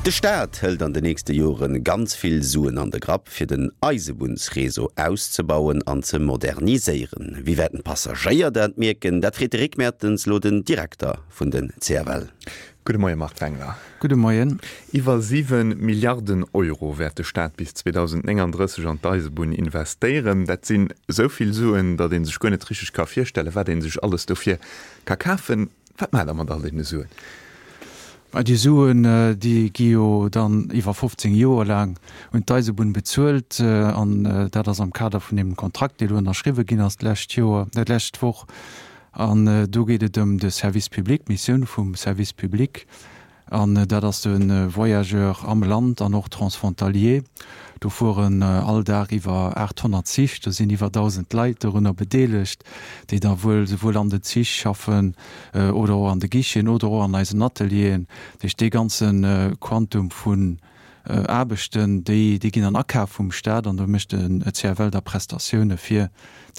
De Staat hëlt an de nächste Jore ganz vill Suen an de Grapp, fir den Eisebunnsreseau auszebauen an ze moderniséieren. Wéi wäerten d'Passagéier dat mierken? Dat freet de Rick Mertens elo den Direkter vun den CFL. Gudde Moie Marc Wengler. Gudde Moien. Iwwer 7 Milliarden Euro wäert de Staat bis 2039 an d'Eisebunn investéieren. Dat sinn esou vill Suen, datt ee sech guer net richteg ka virstellen, wat ee sech alles dofir ka kafen. Wat maacht Der mat all deene Suen? Mä déi Suen, déi gi jo dann iwwer 15 Joer laang un d'Eisebunn bezuelt. An dat ass am Kader vun deem Kontrakt, dee elo ënnerschriwwe ginn ass d'lescht Joer, d'lescht Woch. An do geet et ëm de Service public, d'Missioun vum Service public. An dat ass de Voyageur am Land an och transfrontalier. Do fueren all Dag iwwer 800 Zich, do sinn iwwer 1.000 Leit dorunner bedeelegt, déi da wuel souwuel an den Zich schaffen oder och an de Guicheten oder och an eisen Atelieren. Dat heescht, dee ganze Quantum vun Aarbechten, déi ginn an Akaf vum Staat an do mécht de CFL da Prestatioune fir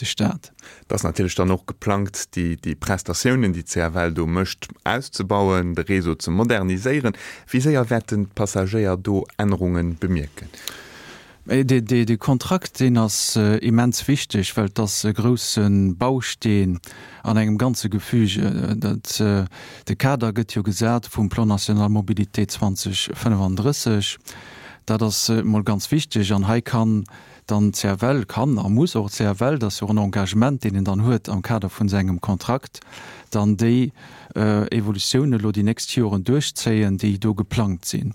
de Staat. Et ass natierlech dann och geplangt, déi Prestatiounen, déi d'CFL do mécht, auszebauen, de Réseau ze moderniséieren. Wéi séier wäerten d'Passagéier do Ännerunge bemierken? Dee Kontrakt, deen ass immens wichteg, well et ass e grousse Bausteen an engem ganze Gefüge. De Kader gëtt jo gesat vum Plan national mobilité 2035. Dat ass emol ganz wichteg an hei kann dann d'CFL, kann a muss och d'CFL, dat ass jo och en Engagement, deen en dann huet am Kader vun sengem Kontrakt, dann déi Evolutioun elo déi nächst Joren duerchzéien, déi do geplangt sinn.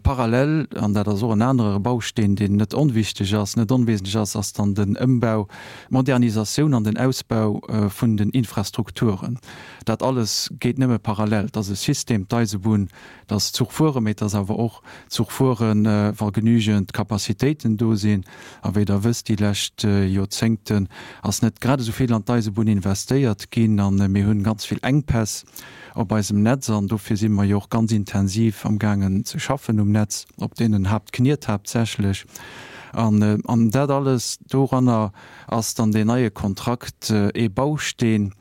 Parallel, an dat ass och en anere Bausteen, deen net onwichtig ass, net onwesentlech ass, ass dann den Ëmbau, d'Modernisatioun an den Ausbau vun den Infrastrukturen. Dat alles geet nëmme parallel. Et ass e System, d'Eisebunn, et ass Zuchfuere, mee et ass awer och Zuchfueren, wa genügend Capacitéiten do sinn. A wéi Der wësst, déi lescht Joerzéngten ass net grad esou vill an d'Eisebunn investéiert ginn a mir hunn ganz vill Enkpäss op eisem Netz an dofir si mer jo och ganz intensiv amgaangen ze schaffen um Netz, op deenen Haaptkniet haaptsächlech. An an dat alles, doranner ass dann deen neie Kontrakt ee Bausteen,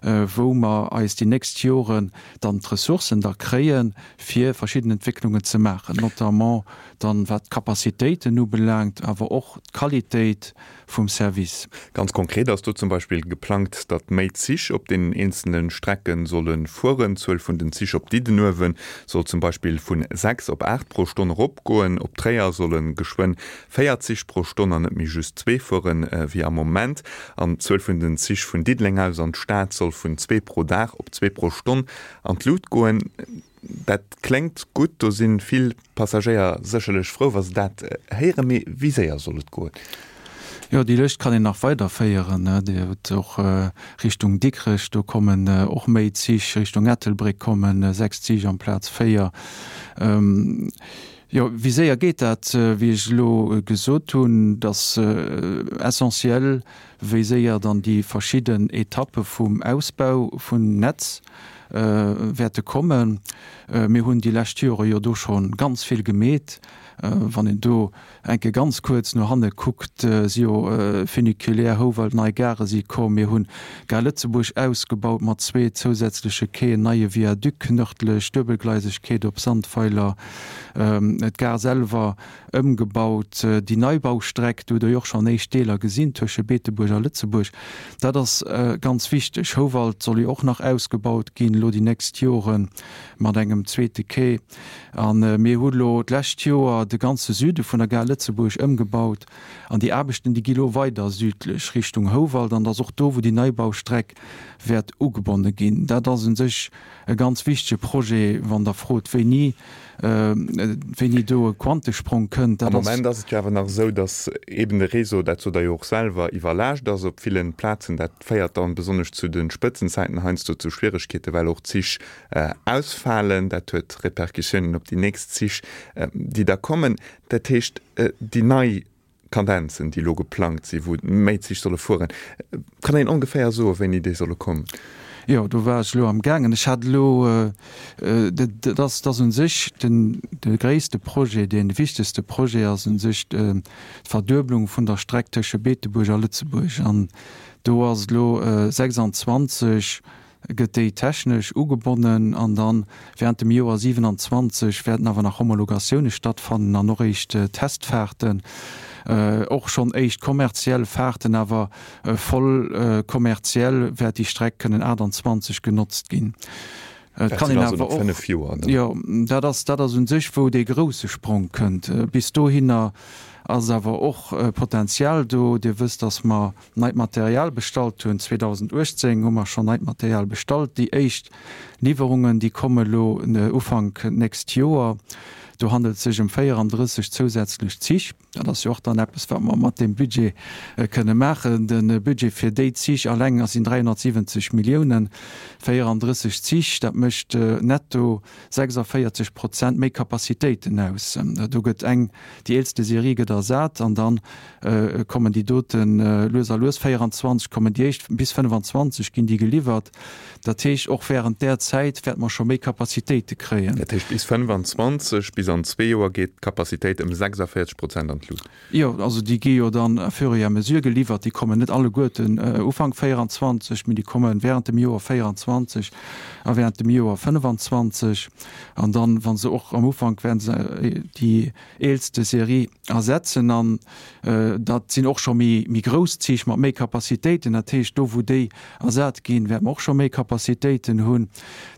wou mer eis déi nächst Joren dann d'Ressourcen da kréien, fir verschidden Entwécklungen ze maachen, notamment dann wat d'Capacitéiten ubelaangt, awer och d'Qualitéit vum Service. Ganz konkret ass do zum Beispill geplangt, datt méi Zich op deenen eenzelne Strecke solle fueren. D'Zuel vun den Zich op Diddenuewen soll zum Beispill vu 6 op 8 pro Stonn eropgoen. Op Tréier solle geschwënn 4 Zich pro Stonn an net méi just zwee fueren, wéi am Moment. An d'Zuel vun den Zich vun Diddeleng aus an d'Stad soll vun zwee pro Dag op zwee pro Stonn an d'Lut goen. Dat kléngt gutt, do si vill Passagéier sécherlech frou, wa se dat héieren. Mee wéi séier soll et goen? Jo, déi Lëscht kann een nach weiderféieren. Dir hutt och Richtung Dikrech, do kommen och méi Zich, Richtung Ettelbréck kommen 6 Zich amplaz 4. Jo, wéi séier geet dat? Wéi ech elo gesot hunn, et ass essentiel, wéi séier dann déi verschidden Etappe vum Ausbau vun Netz wäerte kommen. Mir hunn déi lescht Jore jo do scho ganz vill gemeet. Wann een do eng Kéier ganz kuerz no hanne kuckt, si jo Funiculaire Houwald, nei Gare si komm. Mir hunn Gare Lëtzebuerg ausgebaut mat zwee zousätzleche Quaien, neie Viaduc nërdlech, Duebelgleisegkeet op Sandweiler, d'Gare selwer ëmgebaut, déi Neibaustreck, do hutt Der jo och schonn éischt Deeler gesinn, tësche Beetebuerg a Lëtzebuerg. Dat ass ganz wichteg. Houwald soll jo och nach ausgebaut ginn elo déi nächst Jore mat engem zweete Quai. A mir hu lo d'lescht Joer de ganze Süde vun der Gare Lëtzebuerg ëmgebaut an déi Aarbechten, déi gi lo weider südlech Richtung Houwald an et ass och do, wou déi Neibaustreck wäert ugebonne ginn. Dat ass u sech e ganz wichtege Projet, wann Der frot, wéini, wéini do e Quantesprong kënnt. Am Moment ass et jo awer nach esou, datt eeben de Réseau, dat sot Der jo och selwer, iwwerlaascht ass op villen Plazen. Dat féiert dann besonnesch zu de Spëtzenzäiten heiansdo zu Schwieregkeeten, well och Zich ausfalen. Dat huet Repercussiounen op déi nächst Zich, déi da kommen. Dat heescht, déi nei Kadenzen, déi elo geplangt sinn, wou méi Zich solle fueren, kann een ongeféier soen, wéini déi solle kommen? Jo, do war ech elo am gaangen. Ech hat elo, dat ass, dat ass u sech den, de gréisste Projet, dee wichtegste Projet ass u sech d'Verdueblung vun der Streck tësche Beetebuerg a Lëtzebuerg. An do ass elo 26. gëtt déi technesch ugebonnen an dann während dem Joer 27 wäerten awer nach Homologatioune stattfannen an och éischt Testfahrten, och schonn éischt kommerziell Fahrten, awer voll kommerziell wäert déi Streck kënnen 28 genotzt ginn. Et kann een awer och, jo, dat ass, dat ass u sech wou dee grousse Sprong kënnt. Bis dohinner ass awer och Potenzial do. Dir wësst, datt mer neit Material bestallt hunn. 2018 hu mer schonn neit Material bestallt. Déi éischt Liwwerungen, déi komme lo Ufank nächst Joer. Do handelt et sech ëm 34 zousätzlech Zich. Dat ass jo och dann eppes, wat mer mat deem Budget kënne maachen. De Budget fir déi Zich alleng sinn 370 Milliounen. 34 Zich, dat mécht netto 46 Prozent méi Capacitéiten aus. Do gëtt eng, déi eelste Serie gëtt ersat an da kommen déi dote lues a lues, 24 kommen déi éischt, bis 25 ginn déi geliwwert. Dat heescht, och während där Zäit wäerte mer scho méi Capacitéite kréien. Dat heescht, bis 25, bis an zwee Joer geet d'Capacitéit ëm 46 Prozent an d'Lut? Jo, also déi gi jo dann à fur et à mesure geliwwert. Déi kommen net alleguerten Ufank 24, mee déi komme während dem Joer 24 a während dem Joer 25. An dann, wa se och am Ufank wäerten se déi eelste Serie ersetzen an dat sinn och scho méi méi grouss Zich mat méi Capacitéiten. Dat heescht, do wou déi ersat ginn, wäerte mer och scho méi Capacitéiten hunn.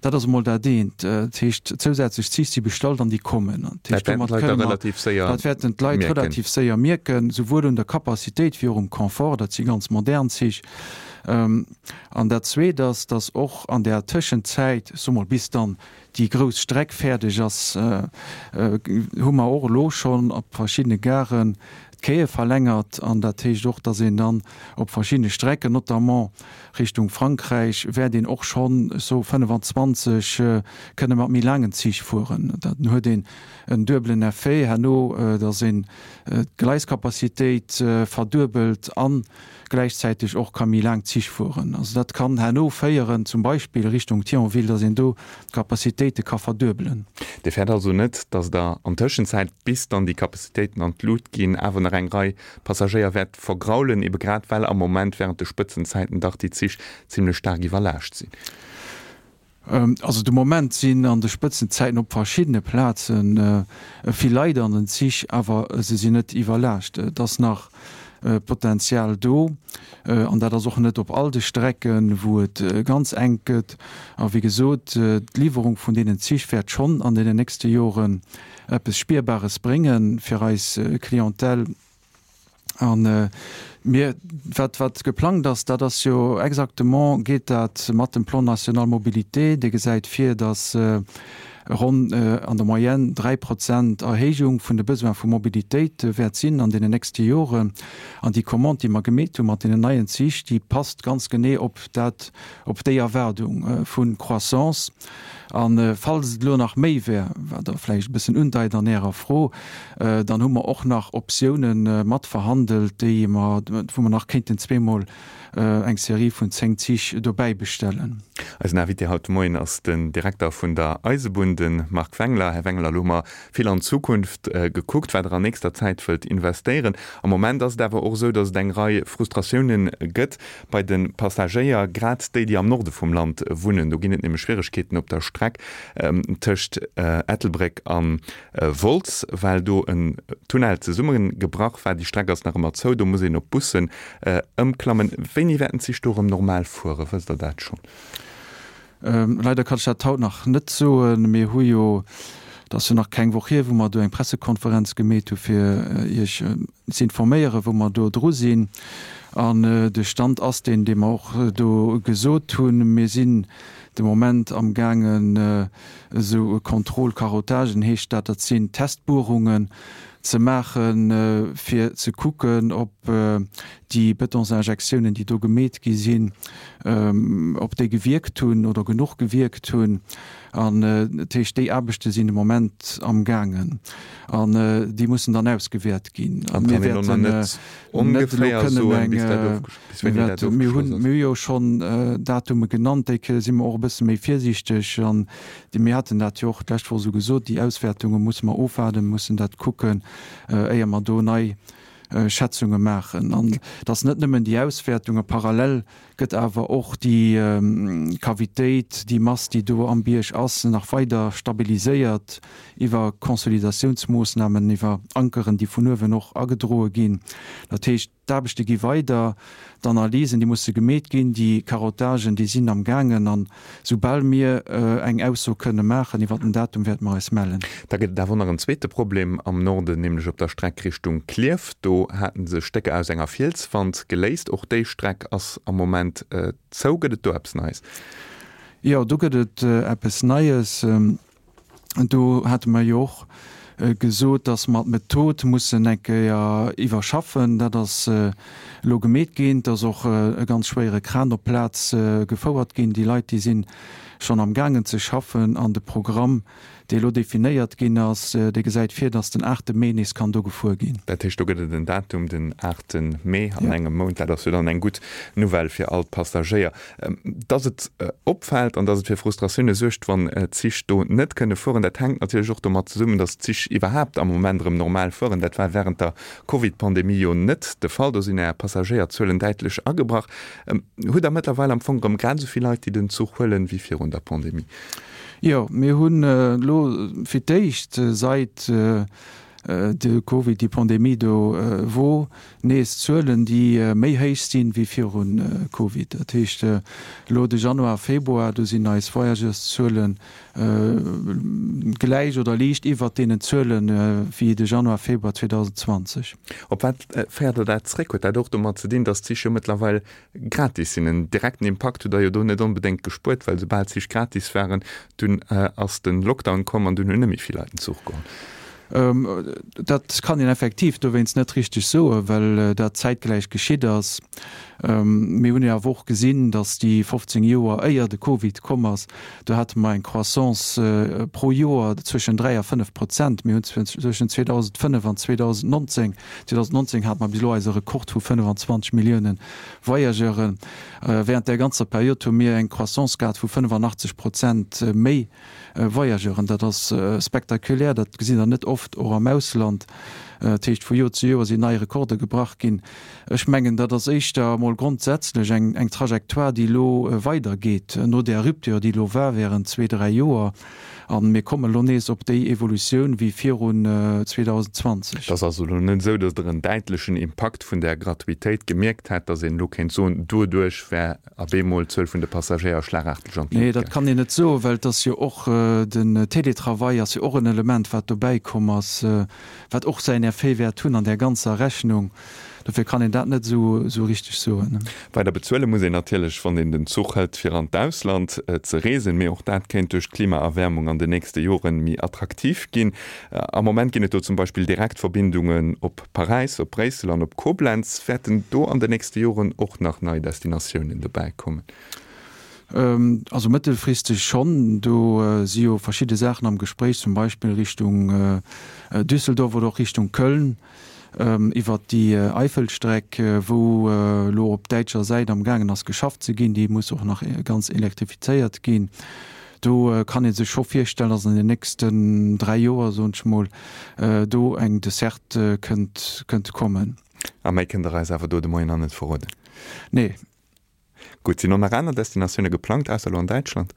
Dat ass emol dat eent. Dat heescht, zousätzlech Zich si bestallt an déi kommen. Dat heescht, domat kënne mer, dat wäerten d'Leit relativ séier mierken, souwuel un der Capacitéit wéi och um Confort. Dat si ganz modern Zich. An dat Zweet ass, datt och an där Tëschenzäit, ech soe mol bis dann déi grouss Streck fäerdeg ass, hu mer och elo schonn op verschiddene Garen d'Quaië verlängert. An dat heescht och, datt een dann op verschiddene Strecken, notamment Richtung Frankräich, wäert een och schonn, ech soe 25, kënne mat méi laangen Zich fueren. Dann huet een en duebelen Effet herno, datt een d'Gleiskapazitéit verduebelt an gläichzäiteg och ka méi laang Zich fueren. Also dat kann herno féieren, zum Beispill Richtung Thionville, datt een do d'Capacitéite ka verduebelen. Dir fäert also net, datt Der an Tëschenzäit, bis dann déi Capacitéiten an d'Lut ginn, awer nach eng Rei Passagéier wäert vergraulen, ebe grad well am Moment während de Spëtzenzäiten dach déi Zich zimlech staark iwwerlaascht sinn? Also de Moment sinn an de Spëtzenzäiten op verschiddene Plaze vill Leit an den Zich, awer se sinn net iwwerlaascht. Et ass nach Potenzial do an dat ass och net op all de Strecken, wou et ganz enk gëtt. A wéi gesot, d'Liwwerung vun deenen Zich wäert schonn an deenen nächste Joren eppes Spierbares brénge fir eis Clientèle. An mir, wat, wat geplangt ass, dat ass jo exactement, geet dat mat dem Plan national mobilité, dee gesäit vir, datt ronn an der Moyenne 3 Prozent Erhéijung vun de Besoin vu Mobilitéit wäert sinn an deenen nächste Joren. An déi Commande, déi mer gemeet hu mat deenen neien Zich, déi passt ganz genee op dat, op déi Erwaardung vu Croissance. A falls et elo nach méi wär, wat Der vläicht e bëssen undeit an Ärer Fro, dann hu mer och nach Optiounen matverhandelt, déi mer, wou mer nach kéinten zweemol eng Serie vun 10 Zich dobäi bestellen. Eisen Invité haut de Moien ass den Direkter vun der Eisebunn, de Marc Wengler. Här Wengler, elo hu mer vill an d'Zukunft gekuckt, wat Der an nächster Zäit wëllt investéieren. Am Moment ass et awer och esou, datt et eng Rei Frustratiounen gëtt bei de Passagéier, grad déi, déi am Norde vum Land wunnen. Do ginn et nämlech Schwieregkeeten op der Streck tëscht Ettelbréck a Wolz, well do en Tunnel zesummegebrach war. Déi Streck ass nach ëmmer zou, do muss een op Bussen ëmklammen. Wéini wäerten d'Zich do erëm normal fueren? Wësst Der dat schonn? Leider kann ech dat haut nach net soen. Mir hu jo, et ass jo nach keng Woch hier, wou mer do eng Pressekonferenz gemeet hu fir Iech ze informéieren, wou mer do dru sinn. An de Stand ass deen, dee mer och do gesot hunn. Mir sinn de Moment amgaangen esou Contrôle-Carottagen heescht dat, dat sinn Testbuerungen ze maachen, fir ze kucken, ob déi Betonsinjektiounen, déi do gemeet gi sinn, ob déi gewierkt hunn oder genuch gewierkt hunn. An dat heescht, déi Aarbechte sinn de Moment amgaangen an déi mussen dann ausgewäert ginn. A mir wäerten net elo kënnen eng, mir hunn, mir hu jo schonn Datume genannt, déi Kéier si mer och e bësse méi virsiichteg an mir haten dat jo och d'lescht Woch esou gesot, déi Auswäertunge musse mer ofwaarden, mussen dat kucken, éier mer do nei. Schätzunge maachen. An et ass net nëmmen déi Auswäertung, a parallel gëtt awer och déi Cavitéit, déi Mass, déi do am Bierg ass, nach weider stabiliséiert iwwer Konsolidatiounsmoossnamen, iwwer Ankeren, déi vun uewen och agedroe ginn. Dat heescht, D'aarbechte gi weider, d'Analysen, déi musse gemeet ginn, déi Carottagen, déi sinn am gaangen. An soubal mir eng Ausso kënne maachen iwwer den Datum, wäerte mer eis mellen. Da gëtt et awer och nach en zweete Problem am Norden, nämlech op der Streck Richtung Klierf. Do hate sech Stécker aus enger Fielswand geléist. Och déi Streck ass am Moment zou. Gëtt et do eppes Neies? Jo, do gëtt et eppes Neies. Do hate mer jo och gesot, dass mer d'Method mussen eng Kéier iwwerschaffen. Dat ass elo gemeet ginn. Et ass och e ganz schwéiere Kran op d'Plaz gefouert ginn. Déi Leit, déi si schonn amgaangen ze schaffen. An de Programm, dee elo definéiert ginn ass, dee gesäit vir, dass den aachte Mee nees kann do gefuer ginn. Dat heescht, do gëtt et en Datum, den aachte Mee, an engem Mount. Dat ass jo dann eng gutt Nouvelle fir all d'Passagéier. Dass et opfält an dass et fir Frustratioune suergt, wann d'Zich do net kënne fueren, dat hänkt natierlech och domat zesummen, dass d'Zich iwwerhaapt am Moment erëm normal fueren. Dat war wärend der Covid-Pandemie jo net de Fall. Do sinn Är Passagéierzuelen däitlech agebrach. Hutt Der mëttlerweil am Fong erëm grad esou vill Leit, déi den Zuch huelen, wéi virun der Pandemie? Jo, mir hunn elo fir d'éischt sait de Covid, déi Pandemie do wor, nees Zuelen, déi méi héich sinn wéi viru Covid. Dat heescht, elo de Januar, Februar, do sinn eis Voyageurszuele gläich oder liicht iwwert deenen Zuele wéi de Januar, Februar 2020. Op wat féiert Der dat zréck? Huet dat och domat ze dinn, datt d'Zich jo mëttlerweil gratis sinn. En direkten Impakt hutt der jo do net onbedéngt gespuert, well soubal d'Zich gratis waren, dunn ass de Lockdown komm an dunn hunn net méi vill Leit den Zuch geholl. Dat kann een effektiv dowéinst net richteg soen, well dat zäitgläich geschitt ass. Mir hunn jo awer och gesinn, datt déi 15 Joer éier de Covid komm ass, do hate mer eng Croissance pro Joer zwëschen 3 a 5 Prozent. Mir hunn zwëschen 2005 an 2019 2019 hate mer bis elo eise Rekord vu 25 Millioune Voyageuren. Während där ganzer Period hu mir eng Croissance gehat vu 85 Prozent méi Voyageuren. Dat ass spektakulär, dat gesitt Der net oft, och am Ausland. Dat heescht, vu Joer zu Joer sinn nei Rekorde gebrach ginn. Ech mengen, dat ass éischter emol grondsätzlech eng Trajectoire, déi elo weidergeet no där Rupture, déi elo war während zwee, dräi Joer. A mir kommen elo nees op déi Evolutioun wéi virun 2020. Et ass also elo net esou, datt Der en däitlechen Impakt vun där Gratuitéit gemierkt hätt, datt een elo kéint soen, doduerch wär ab eemol d'Zuel vun de Passagéier schlagaarteg an d'Luucht gaangen. Nee, dat kann een net soen, well et ass jo och, den Télétravail ass jo och en Element, wat dobäi komm ass, wat och säin Effet wäert hunn an där ganzer Rechnung. Dofir kann een dat net esou richteg soen. Weider bezuele muss een natierlech, wann een den Zuch hëlt, fir an d'Ausland ze reesen. Mee och dat kéint duerch d'Klimaerwäermung an den nächste Jore méi attraktiv ginn. Am Moment ginn et do zum Beispill Direktverbindungen op Paräis, op Bréissel an op Koblenz. Wäerten do an den nächste Joren och nach nei Destinatiounen dobäi kommen? Also mëttelfristeg schonn. Do si jo verschidde Saachen am Gespréich, zum Beispill Richtung Düsseldorf oder och Richtung Köln. Iwwert déi Eifelstreck, wou elo op däitscher Säit am gaangen ass geschafft ze ginn, déi muss och nach ganz elektrifizéiert ginn. Do kann ee sech scho virstellen, datt an den nächsten 3 Joer, soen ech mol, do eng Desserte kënnt kënnt kommen. A méi kënnt Der eis awer do de Moien nach net verroden? Nee. Gutt, sinn och nach aner Destinatioune geplangt, ausser elo an Däitschland?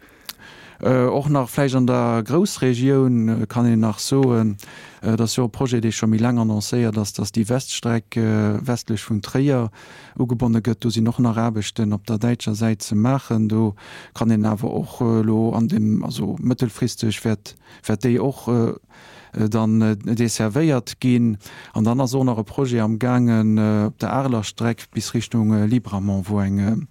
Och nach vläicht an der Groussregioun kann een nach soen, et ass jo e Projet, dee scho méi laang annoncéiert ass, datt déi Weststreck westlech vun Tréier ugebonne gëtt. Do sinn och nach Aarbechten op der däitscher Säit ze maachen. Do kann een awer och elo an dem, also mëttelfristeg wäert wäert déi och dann desservéiert ginn. An dann ass och nach e Projet am gaangen op der Areler Streck bis Richtung Libramont, wou eng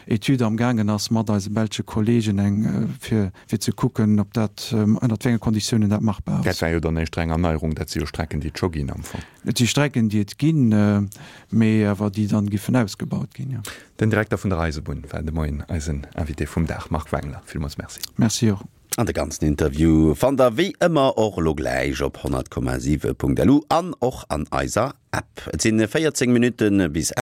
Etüd am gaangen ass mat eise belsche Kollegen, eng fir fir ze kucken, ob dat, ënnert wéi enge Konditiounen dat machbar ass. Dat war jo dann éischter eng Erneierung, dat si jo Strecken, déi et scho ginn am Fong. Et si Strecken, déi et ginn, mee awer déi dann giffen ausgebaut ginn, jo. Den Direkter vun der Eisebunn war de Moien eisen Invité vum Dag, Marc Wengler. Villmools Merci. Merci och. An de ganzen Interview fannt der wéi ëmmer och elo gläich op 100,7.lu an och an eiser App. Et sinn 14 Minutten bis.